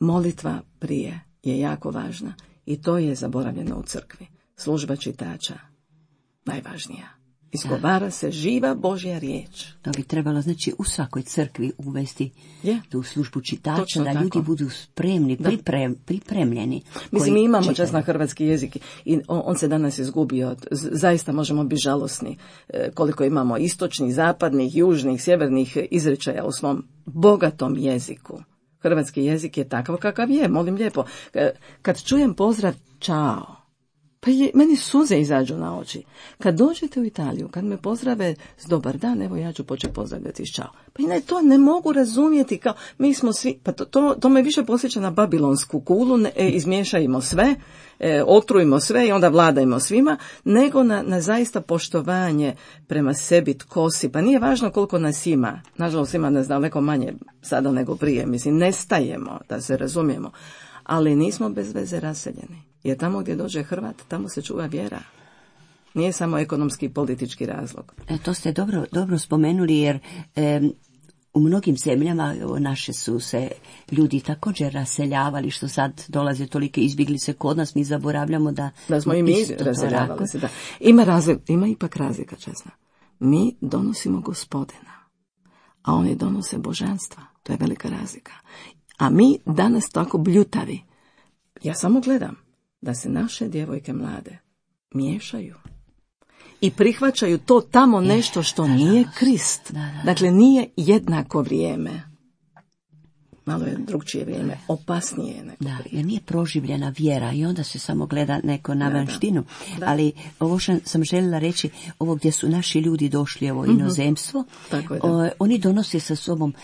Molitva prije je jako važna i to je zaboravljeno u crkvi. Služba čitača, najvažnija. Izgovara se živa Božja riječ. To bi trebalo, znači, u svakoj crkvi uvesti tu službu čitača, točno da ljudi budu spremni, pripremljeni. Mislim, mi imamo čas na hrvatski jezik i on se danas izgubio. Zaista možemo biti žalosni koliko imamo istočnih, zapadnih, južnih, sjevernih izrečaja u svom bogatom jeziku. Hrvatski jezik je takav kakav je, molim lijepo. Kad čujem pozdrav čao, Pa meni suze izađu na oči. Kad dođete u Italiju, kad me pozdrave s dobar dan, evo ja ću početi pozdravljati s čao. Pa ne, to ne mogu razumjeti kao mi smo svi, pa to me više posjeća na babilonsku kulu, izmiješajmo sve, otrujmo sve i onda vladajmo svima, nego na zaista poštovanje prema sebi, tko si. Pa nije važno koliko nas ima, nažalost ima nas daleko manje sada nego prije, mislim, nestajemo, da se razumijemo, ali nismo bez veze raseljeni. Jer tamo gdje dođe Hrvat, tamo se čuva vjera. Nije samo ekonomski i politički razlog. To ste dobro spomenuli, jer u mnogim zemljama naše su se ljudi također raseljavali, što sad dolaze tolike izbjeglice kod nas, mi zaboravljamo da smo i mi raseljavali se. Da. Ima ipak razlika, česna. Mi donosimo Gospodina, a oni donose božanstva. To je velika razlika. A mi danas tako bljutavi. Ja samo gledam da se naše djevojke mlade miješaju i prihvaćaju to tamo nešto što nije Krist. Dakle, nije jednako vrijeme. Malo je drugčije vrijeme, opasnije nego prije. Jer nije proživljena vjera i onda se samo gleda neko na vanštinu. Ali ovo što sam željela reći, ovo gdje su naši ljudi došli, ovo inozemstvo, oni donose sa sobom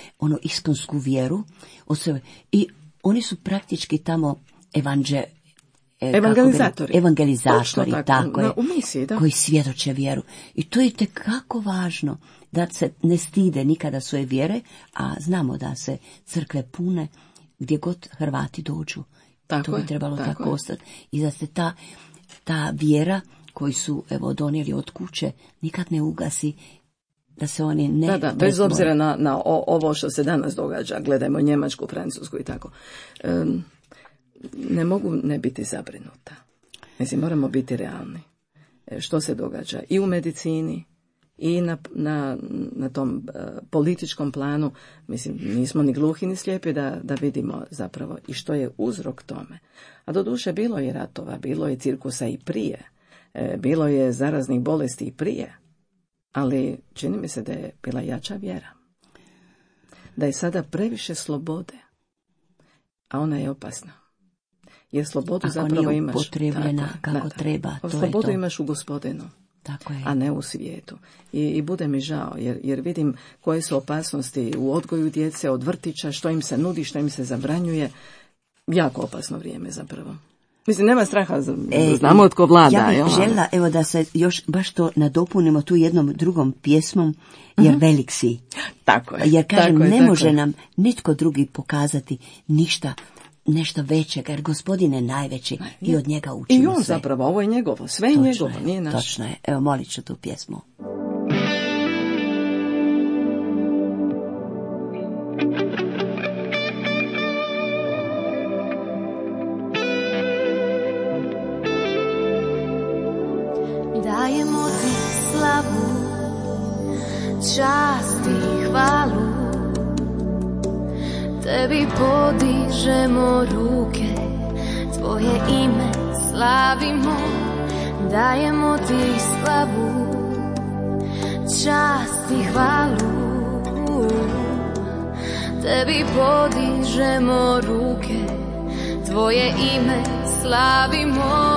iskonsku vjeru i oni su praktički tamo evangelizatori, tako je, u misiji, da. Koji svjedoče vjeru. I to je itekako važno da se ne stide nikada svoje vjere, a znamo da se crkve pune gdje god Hrvati dođu. To bi trebalo tako ostati. I da se ta vjera koju su donijeli od kuće nikad ne ugasi, da se oni ne... Da, bez obzira na ovo što se danas događa, gledajmo Njemačku, Francusku i tako. Ne mogu ne biti zabrinuta. Mislim, moramo biti realni. Što se događa i u medicini i na tom političkom planu. Mislim, nismo ni gluhi ni slijepi da vidimo zapravo i što je uzrok tome. A doduše bilo je ratova, bilo je cirkusa i prije, bilo je zaraznih bolesti i prije, ali čini mi se da je bila jača vjera. Da je sada previše slobode, a ona je opasna. Jer slobodu ako zapravo nije imaš upotrebljena kako treba. Slobodu imaš u Gospodinu, tako je, a ne u svijetu. I bude mi žao, jer vidim koje su opasnosti u odgoju djece, od vrtića, što im se nudi, što im se zabranjuje. Jako opasno vrijeme zapravo. Mislim, nema straha, znamo od ko vlada. Ja bih željela, da se još baš to nadopunimo tu jednom drugom pjesmom, jer velik si. Tako je. Jer kažem, ne može nam nitko drugi pokazati nešto većeg, jer Gospodin je najveći i od njega učimo i on sve. Zapravo, ovo je njegovo, sve je njegovo, nije naše. Točno je, evo molit ću tu pjesmu. Dajemo ti slavu, čast i hvalu, tebi podižemo ruke, tvoje ime slavimo. Dajemo ti slavu, čast i hvalu, tebi podižemo ruke, tvoje ime slavimo.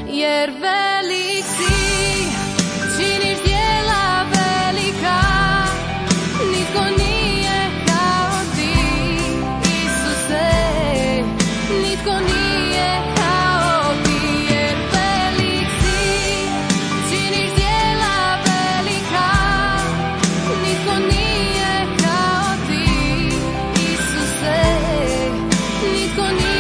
Jer velik si, činiš djela velika, nitko nije kao ti, Isuse, nitko nije kao ti. Jer velik si, činiš djela velika, nitko nije kao ti, Isuse, nitko nije.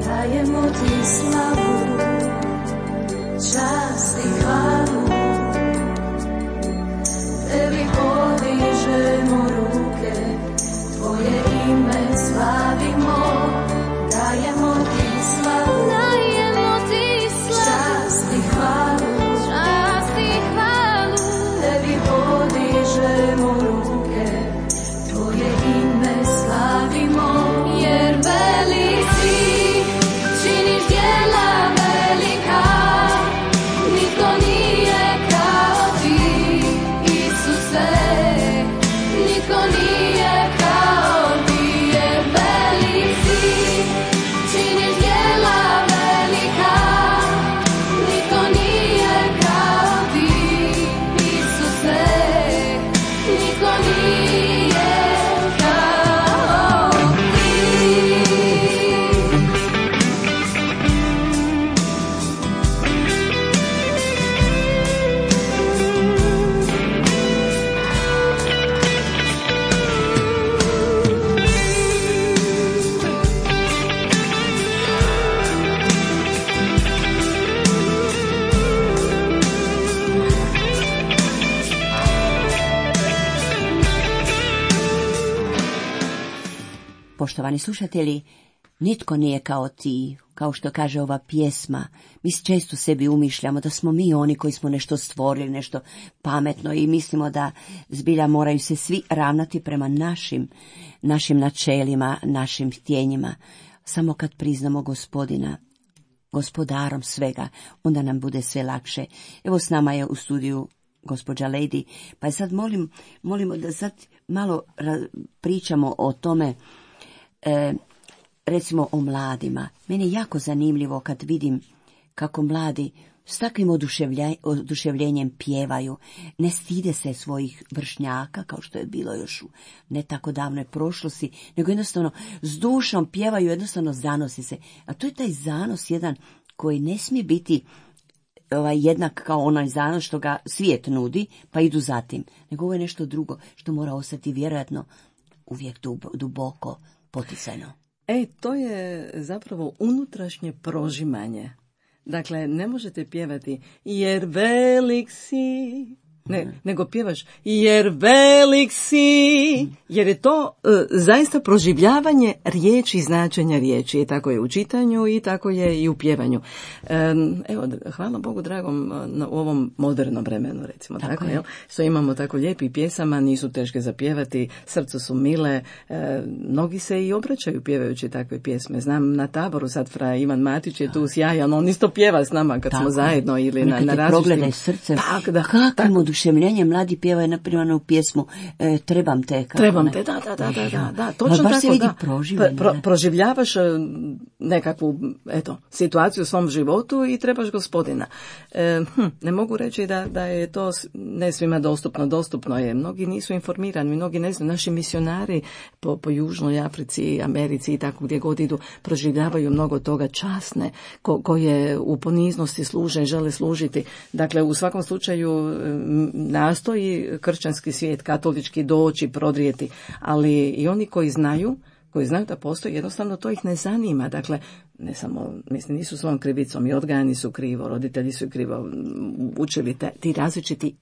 Dajemo ti slavu, čast i hvalu, tebi podižemo ruke, tvoje ime slavimo. Dajemo ti slavu, čast i hvalu, tebi podižemo ruke, tvoje ime slavimo. Jer velik si, Poštovani slušatelji, nitko nije kao ti, kao što kaže ova pjesma. Mi često sebi umišljamo da smo mi oni koji smo nešto stvorili, nešto pametno i mislimo da zbilja moraju se svi ravnati prema našim načelima, našim htjenjima. Samo kad priznamo Gospodina gospodarom svega, onda nam bude sve lakše. Evo s nama je u studiju gospođa Lady, pa je sad molimo da sad malo pričamo o tome, recimo o mladima. Meni je jako zanimljivo kad vidim kako mladi s takvim oduševljenjem pjevaju, ne stide se svojih vršnjaka, kao što je bilo još u ne tako davnoj prošlosti, nego jednostavno s dušom pjevaju, jednostavno zanosi se. A to je taj zanos jedan koji ne smije biti jednak kao onaj zanos što ga svijet nudi, pa idu za tim. Nego ovo je nešto drugo što mora ostati vjerojatno uvijek duboko poticajno. To je zapravo unutrašnje prožimanje. Dakle, ne možete pjevati jer velik si, nego pjevaš jer velik si, jer je to zaista proživljavanje riječi i značenja riječi. Tako je u čitanju i tako je i u pjevanju. Evo, hvala Bogu dragom u ovom modernom vremenu, recimo tako jel? Što imamo tako lijepi pjesama, nisu teške za pjevati, srcu su mile, mnogi se i obraćaju pjevajući takve pjesme. Znam na taboru sad fra Ivan Matić je tu sjajan, on isto pjeva s nama kad smo zajedno ili na različitim. Progledaj srce, kakvim oduševljenjem mladi pjevaju na primjernu pjesmu Trebam te. Trebam te, da, točno baš tako, se vidi proživljanje. Proživljavaš nekakvu, situaciju u svom životu i trebaš Gospodina. Ne mogu reći da je to ne svima dostupno je. Mnogi nisu informirani, mnogi ne znaju. Naši misionari po Južnoj Africi, Americi i tako gdje god idu, proživljavaju mnogo toga časne, koje u poniznosti služe, žele služiti. Dakle, u svakom slučaju nastoji kršćanski svijet, katolički doći, prodrijeti, ali i oni koji znaju da postoji, jednostavno to ih ne zanima. Dakle, ne samo, nisu svojom krivicom, i odgajani su krivo, roditelji su krivo učili ti različiti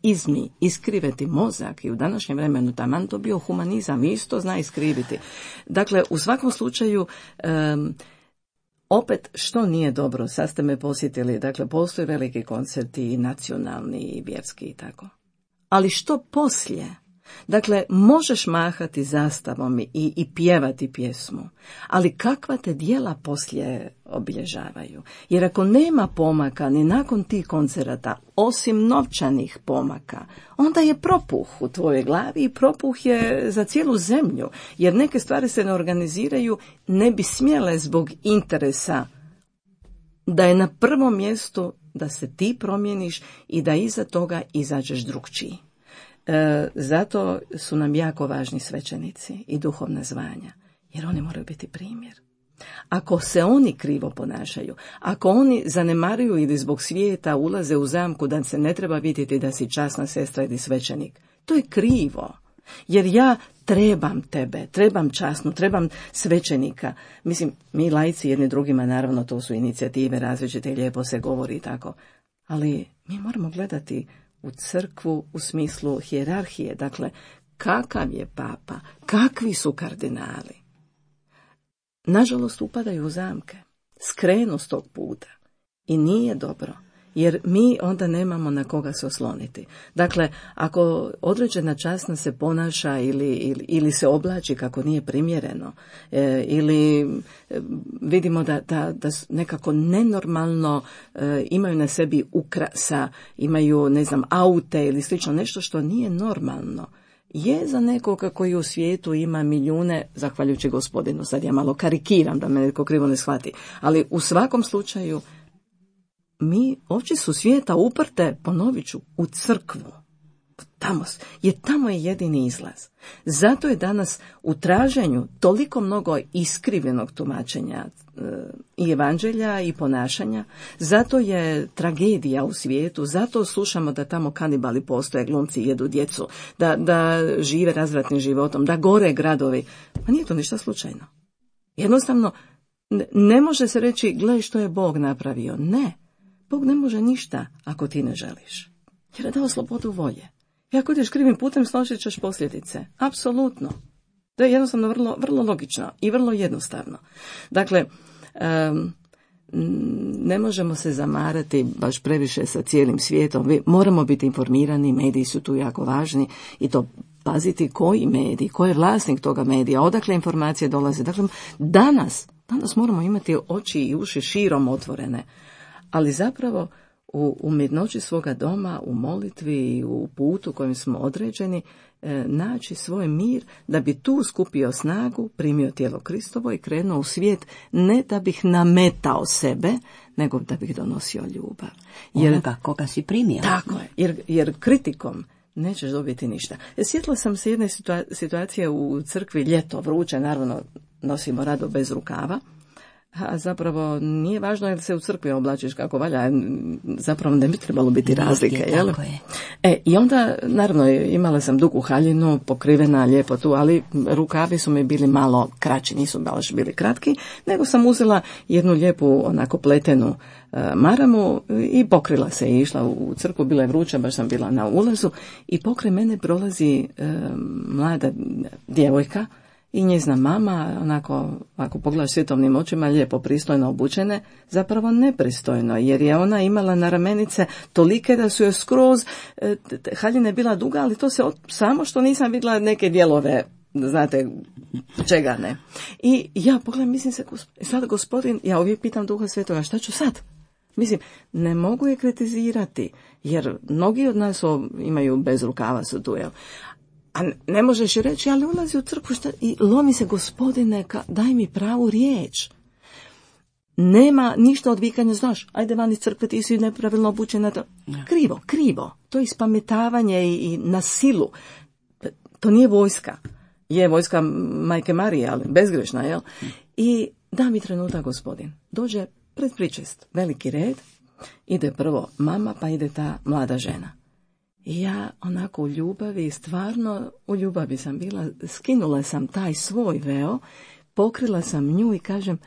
iskriveti mozak i u današnjem vremenu taman to bio humanizam, isto zna iskriviti. Dakle, u svakom slučaju, opet, što nije dobro, sad ste me posjetili, dakle, postoje veliki koncerti i nacionalni i vjerski i tako. Ali što poslije? Dakle, možeš mahati zastavom i pjevati pjesmu, ali kakva te djela poslije obilježavaju? Jer ako nema pomaka ni nakon tih koncerata, osim novčanih pomaka, onda je propuh u tvojoj glavi i propuh je za cijelu zemlju, jer neke stvari se ne organiziraju, ne bi smjele zbog interesa da je na prvom mjestu da se ti promijeniš i da iza toga izađeš drugčiji. Zato su nam jako važni svećenici i duhovna zvanja, jer oni moraju biti primjer. Ako se oni krivo ponašaju, ako oni zanemaruju ili zbog svijeta ulaze u zamku da se ne treba vidjeti da si časna sestra ili svećenik, to je krivo. Jer ja trebam tebe, trebam časnu, trebam svećenika. Mislim, mi laici jedni drugima, naravno to su inicijative različite, lijepo se govori i tako, ali mi moramo gledati u crkvu u smislu hijerarhije, dakle, kakav je papa, kakvi su kardinali. Nažalost, upadaju u zamke, skrenu s tog puta i nije dobro, jer mi onda nemamo na koga se osloniti. Dakle, ako određena časna se ponaša ili se oblači kako nije primjereno, ili vidimo da nekako nenormalno imaju na sebi ukrasa, imaju, aute ili slično, nešto što nije normalno, je za nekoga koji u svijetu ima milijune, zahvaljujući Gospodinu, sad ja malo karikiram da me netko krivo ne shvati, ali u svakom slučaju mi oči su svijeta uprte, ponovit ću, u crkvu. Tamo je jedini izlaz. Zato je danas u traženju toliko mnogo iskrivenog tumačenja i evanđelja i ponašanja, zato je tragedija u svijetu, zato slušamo da tamo kanibali postoje, glumci jedu djecu, da žive razvratnim životom, da gore gradovi. Pa nije to ništa slučajno. Jednostavno, ne može se reći, gle što je Bog napravio. Ne. Bog ne može ništa ako ti ne želiš. Jer je dao slobodu volje. I ako ideš krivim putem, snosit ćeš posljedice. Apsolutno. To je jednostavno vrlo, vrlo logično i vrlo jednostavno. Dakle, ne možemo se zamarati baš previše sa cijelim svijetom. Moramo biti informirani, mediji su tu jako važni i to paziti koji medij, ko je vlasnik toga medija, odakle informacije dolaze. Dakle, danas moramo imati oči i uši širom otvorene, ali zapravo u mirnoći svoga doma, u molitvi i u putu kojim smo određeni, naći svoj mir da bi tu skupio snagu, primio tijelo Kristovo i krenuo u svijet, ne da bih nametao sebe, nego da bih donosio ljubav. Onoga koga si primio. Tako je, jer kritikom nećeš dobiti ništa. Sjetila sam se jedne situacije u crkvi, ljeto, vruće, naravno nosimo rado bez rukava, a zapravo nije važno jer se u crkvi oblačiš kako valja, zapravo ne bi trebalo biti razlike. Jel? Tako je. I onda, naravno, imala sam dugu haljinu, pokrivena lijepo tu, ali rukavi su mi bili malo kraći, nisu baš bili kratki, nego sam uzela jednu lijepu, onako pletenu maramu i pokrila se i išla u crkvu, bila je vruća, baš sam bila na ulazu i pokraj mene prolazi mlada djevojka, i njezina mama, onako, ako pogledaš svjetovnim očima, lijepo pristojno obučene, zapravo nepristojno, jer je ona imala na ramenice tolike da su joj skroz, haljina je bila duga, ali to se samo što nisam vidjela neke dijelove, znate, čega ne. I ja pogledam, mislim se, sad Gospodin, ja uvijek pitam Duha Svetoga, šta ću sad? Mislim, ne mogu je kritizirati, jer mnogi od nas imaju bez rukava su tu, jel? A ne možeš reći, ali ulazi u crkvu i lomi se, Gospodine, daj mi pravu riječ. Nema ništa od vikanja, znaš, ajde van iz crkve, ti si nepravilno obučena. Krivo. To je ispametavanje i na silu. To nije vojska. Je vojska Majke Marije, ali bezgrešna, jel? I da mi trenutak, Gospodin. Dođe pred pričest, veliki red, ide prvo mama, pa ide ta mlada žena. I ja onako u ljubavi, stvarno u ljubavi sam bila, skinula sam taj svoj veo, pokrila sam nju i kažem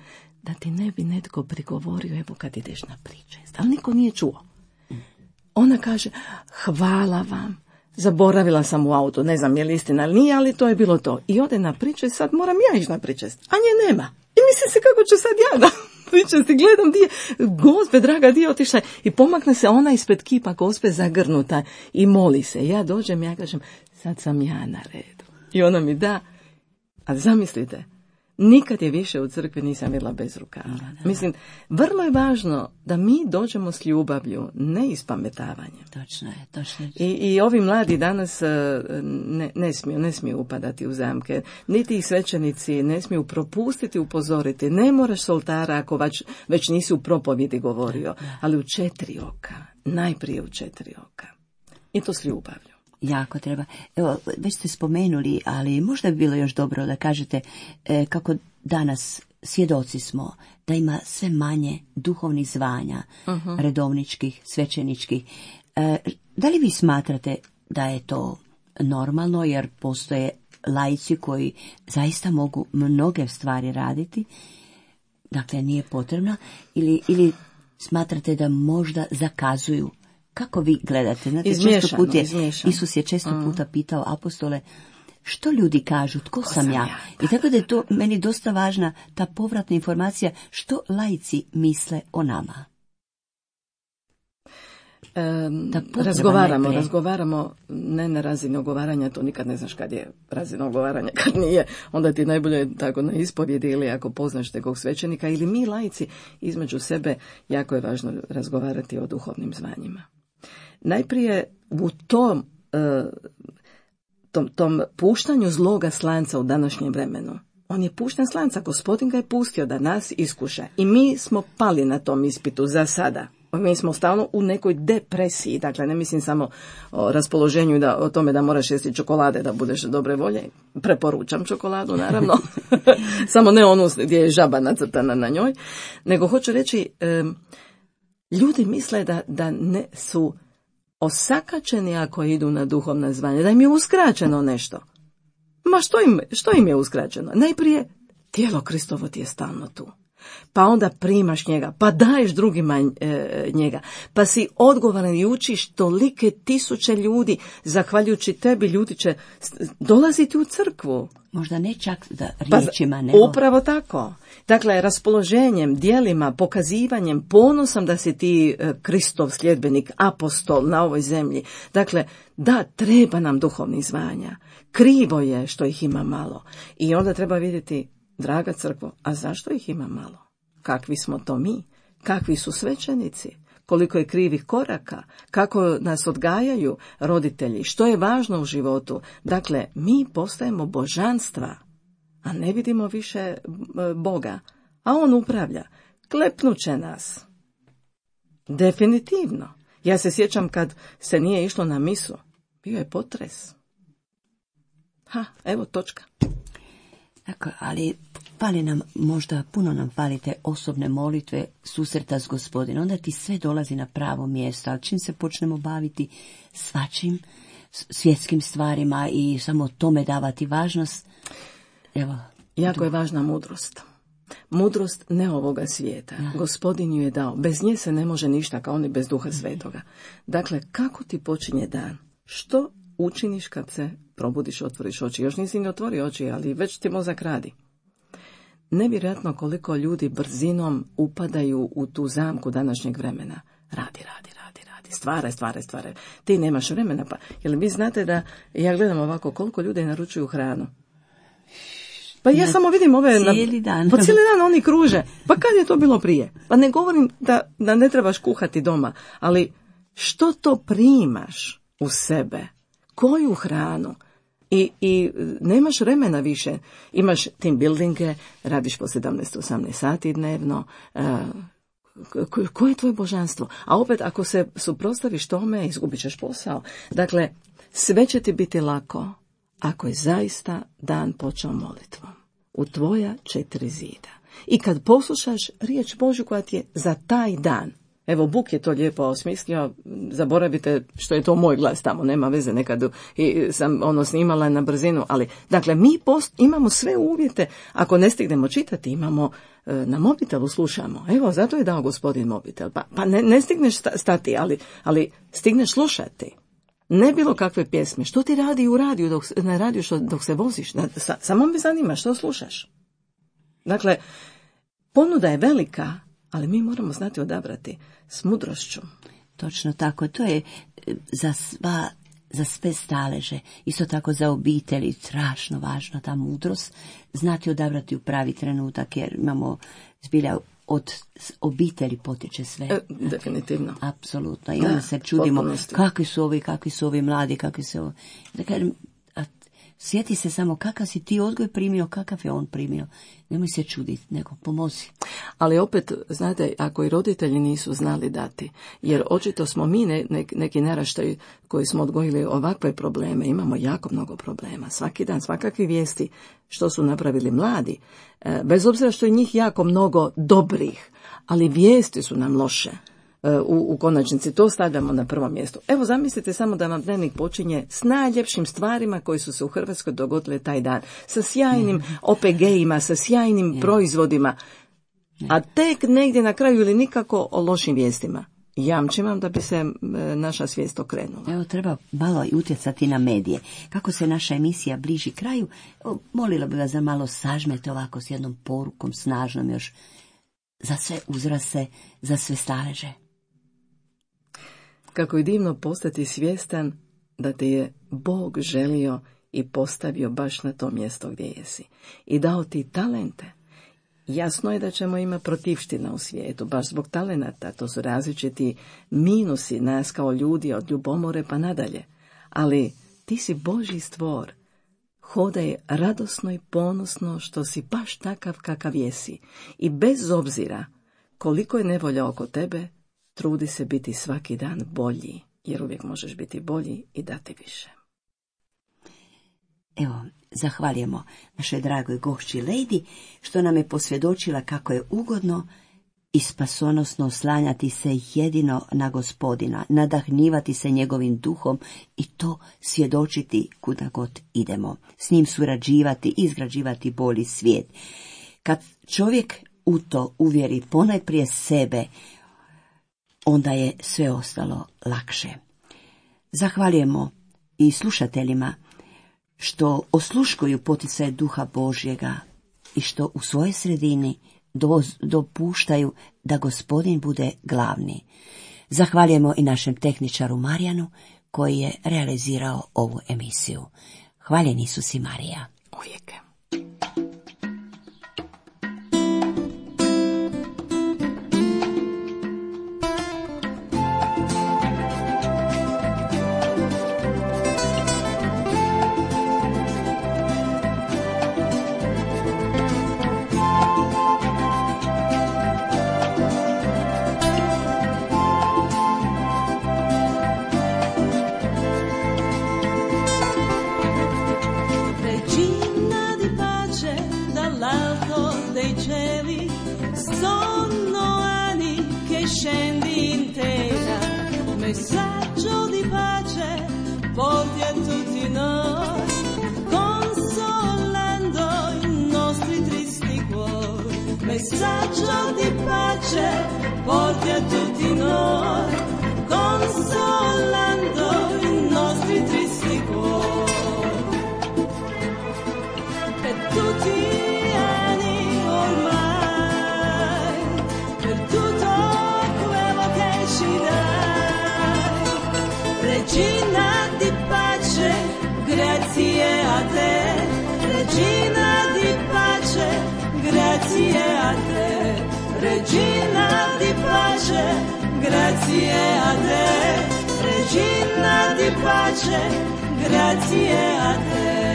da ti ne bi netko prigovorio, evo kad ideš na pričest. Ali niko nije čuo. Ona kaže, hvala vam, zaboravila sam u auto, ne znam je li istina ili nije, ali to je bilo to. I ode na pričest, sad moram ja ići na pričest, a nje nema. I mislim se kako ću sad ja na pričesti, gledam di je, Gospe draga, di je otišla. I pomakne se ona ispred kipa Gospe zagrnuta i moli se. Ja dođem, ja kažem, sad sam ja na redu. I ona mi da, a zamislite, nikad je više u crkvi nisam bila bez rukava. Mislim, vrlo je važno da mi dođemo s ljubavlju, ne ispametavanje. Točno je. I ovi mladi danas ne smiju upadati u zamke. Niti ih svećenici ne smiju propustiti, upozoriti. Ne moraš s oltara ako već nisi u propovjedi govorio, ali u 4 oka. Najprije u 4 oka. I to s ljubavlju. Jako treba. Evo, već ste spomenuli, ali možda bi bilo još dobro da kažete kako danas svjedoci smo da ima sve manje duhovnih zvanja, redovničkih, svećeničkih. Da li vi smatrate da je to normalno, jer postoje laici koji zaista mogu mnoge stvari raditi, dakle nije potrebno, ili smatrate da možda zakazuju? Kako vi gledate? Znate, izmiješano. Isus je često puta pitao apostole, što ljudi kažu, tko sam ja? I tako da je to meni dosta važna ta povratna informacija, što laici misle o nama. Razgovaramo ne na razini ogovaranja, to nikad ne znaš kad je razina ogovaranja, kad nije, onda ti najbolje tako na ispovjedi ili ako poznaš nekog svećenika ili mi laici između sebe, jako je važno razgovarati o duhovnim zvanjima. Najprije u tom puštanju zloga slanca u današnjem vremenu. On je pušten slanca, Gospodin ga je pustio da nas iskuša i mi smo pali na tom ispitu za sada. Mi smo stalno u nekoj depresiji, dakle ne mislim samo o raspoloženju i o tome da moraš jesti čokolade da budeš dobre volje. Preporučam čokoladu, naravno. Samo ne onu gdje je žaba nacrtana na njoj. Nego hoću reći, ljudi misle da ne su osakačeni ako idu na duhovna zvanja, da im je uskraćeno nešto. Ma što im je uskraćeno? Najprije, tijelo Kristovo ti je stalno tu. pa onda primaš njega, pa daješ drugima njega, pa si odgovoran i učiš tolike tisuće ljudi, zahvaljujući tebi ljudi će dolaziti u crkvu. Možda ne čak da riječima, nego... Upravo tako. Dakle, raspoloženjem, djelima, pokazivanjem, ponosom da si ti Kristov sljedbenik, apostol na ovoj zemlji. Dakle, da, treba nam duhovnih zvanja. Krivo je što ih ima malo. I onda treba vidjeti, draga crkvo, a zašto ih ima malo? Kakvi smo to mi? Kakvi su svećenici? Koliko je krivih koraka? Kako nas odgajaju roditelji? Što je važno u životu? Dakle, mi postajemo božanstva, a ne vidimo više Boga. A on upravlja. Klepnuće nas. Definitivno. Ja se sjećam kad se nije išlo na misu. Bio je potres. Evo točka. Tako, ali fali nam, možda puno nam fali te osobne molitve, susreta s Gospodinom. Onda ti sve dolazi na pravo mjesto, ali čim se počnemo baviti svačim svjetskim stvarima i samo tome davati važnost, evo. Jako je važna mudrost. Mudrost ne ovoga svijeta. Ja. Gospodin ju je dao. Bez nje se ne može ništa, kao ni bez Duha Svetoga. Dakle, kako ti počinje dan? Što učiniš kad se probudiš, otvoriš oči? Još nisi ni otvorio oči, ali već ti mozak radi. Nevjerojatno koliko ljudi brzinom upadaju u tu zamku današnjeg vremena. Radi. Stvaraj. Ti nemaš vremena. Pa, jel vi znate da, ja gledam ovako, koliko ljudi naručuju hranu? Pa ja samo vidim ove... Cijeli dan. Pa cijeli dan oni kruže. Pa kad je to bilo prije? Pa ne govorim da ne trebaš kuhati doma, ali što to primaš u sebe? Koju hranu? I nemaš vremena više. Imaš team buildinge, radiš po 17-18 sati dnevno. Koje je tvoje božanstvo? A opet, ako se suprotstaviš tome, izgubit ćeš posao. Dakle, sve će ti biti lako ako je zaista dan počeo molitvom u tvoja 4 zida. I kad poslušaš riječ Božju koja ti je za taj dan. Evo, Buk je to lijepo osmislio, zaboravite što je to moj glas tamo, nema veze, nekad sam snimala na brzinu, ali, dakle, mi imamo sve uvjete, ako ne stignemo čitati, imamo na mobitelu slušamo, evo, zato je dao Gospodin mobitel, pa ne stigneš stati, ali stigneš slušati. Ne bilo kakve pjesme, što ti radi u radiju, na radiju dok se voziš, samo me zanima što slušaš. Dakle, ponuda je velika, ali mi moramo znati odabrati s mudrošću. Točno tako, to je za sve staleže, isto tako za obitelji, strašno važno ta mudrost, znati odabrati u pravi trenutak, jer imamo zbilja od obitelji potječe sve. Definitivno. Apsolutno. I onda se čudimo kakvi su ovi mladi, kakvi su ovi... Dakle, sjeti se samo kakav si ti odgoj primio, kakav je on primio. Nemoj se čuditi, nego pomozi. Ali opet, znate, ako i roditelji nisu znali dati, jer očito smo mi neki naraštaj koji smo odgojili ovakve probleme, imamo jako mnogo problema. Svaki dan, svakakvi vijesti što su napravili mladi, bez obzira što je njih jako mnogo dobrih, ali vijesti su nam loše. U konačnici to stavljamo na prvo mjesto. Evo, zamislite samo da vam dnevnik počinje s najljepšim stvarima koji su se u Hrvatskoj dogodile taj dan, sa sjajnim OPG-ima, sa sjajnim proizvodima, a tek negdje na kraju ili nikako o lošim vijestima. Jamčim vam da bi se naša svijest okrenula. Evo, treba malo i utjecati na medije. Kako se naša emisija bliži kraju, molila bi vas da malo sažmete ovako s jednom porukom snažnom još za sve uzraste, za sve staleže. Kako je divno postati svjestan da te je Bog želio i postavio baš na to mjesto gdje jesi. I dao ti talente. Jasno je da ćemo imati protivština u svijetu, baš zbog talenata. To su različiti minusi nas kao ljudi od ljubomore pa nadalje. Ali ti si Božji stvor. Hodaj radosno i ponosno što si baš takav kakav jesi. I bez obzira koliko je nevolja oko tebe, trudi se biti svaki dan bolji, jer uvijek možeš biti bolji i dati više. Evo, zahvaljujemo našoj dragoj gošći Lejdi, što nam je posvjedočila kako je ugodno i spasonosno oslanjati se jedino na Gospodina, nadahnjivati se njegovim duhom i to svjedočiti kuda god idemo. S njim surađivati, izgrađivati bolji svijet. Kad čovjek u to uvjeri ponajprije sebe, onda je sve ostalo lakše. Zahvaljujemo i slušateljima što osluškuju poticaje Duha Božjega i što u svojoj sredini dopuštaju da Gospodin bude glavni. Zahvaljujemo i našem tehničaru Marijanu koji je realizirao ovu emisiju. Hvaljen Isus i Marija. Uvijek. Scendi in terra, messaggio di pace porti a tutti noi, consolando i nostri tristi cuori. Messaggio di pace porti a tutti noi, consolando i nostri tristi cuori. Per tutti gli anni ormai, per tutto Regina di pace, grazie a te. Regina di pace, grazie a te. Regina di pace, grazie a te. Regina di pace, grazie a te.